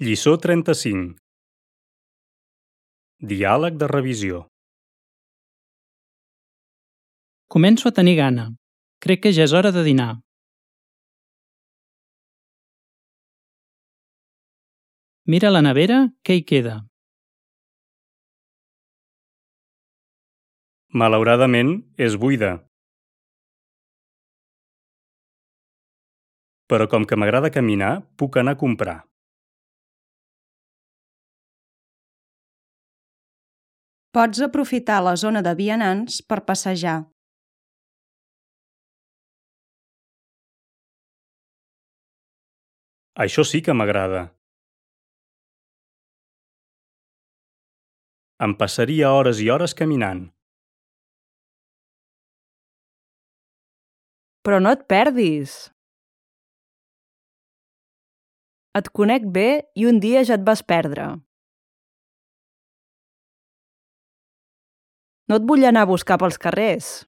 Lliçó 35. Diàleg de revisió. Començo a tenir gana. Crec que ja és hora de dinar. Mira a la nevera què hi queda. Malauradament, és buida. Però com que m'agrada caminar, puc anar a comprar. Pots aprofitar la zona de vianants per passejar. Això sí que m'agrada. Em passaria hores i hores caminant. Però no et perdis. Et conec bé i un dia ja et vas perdre. No et vull anar a buscar pels carrers.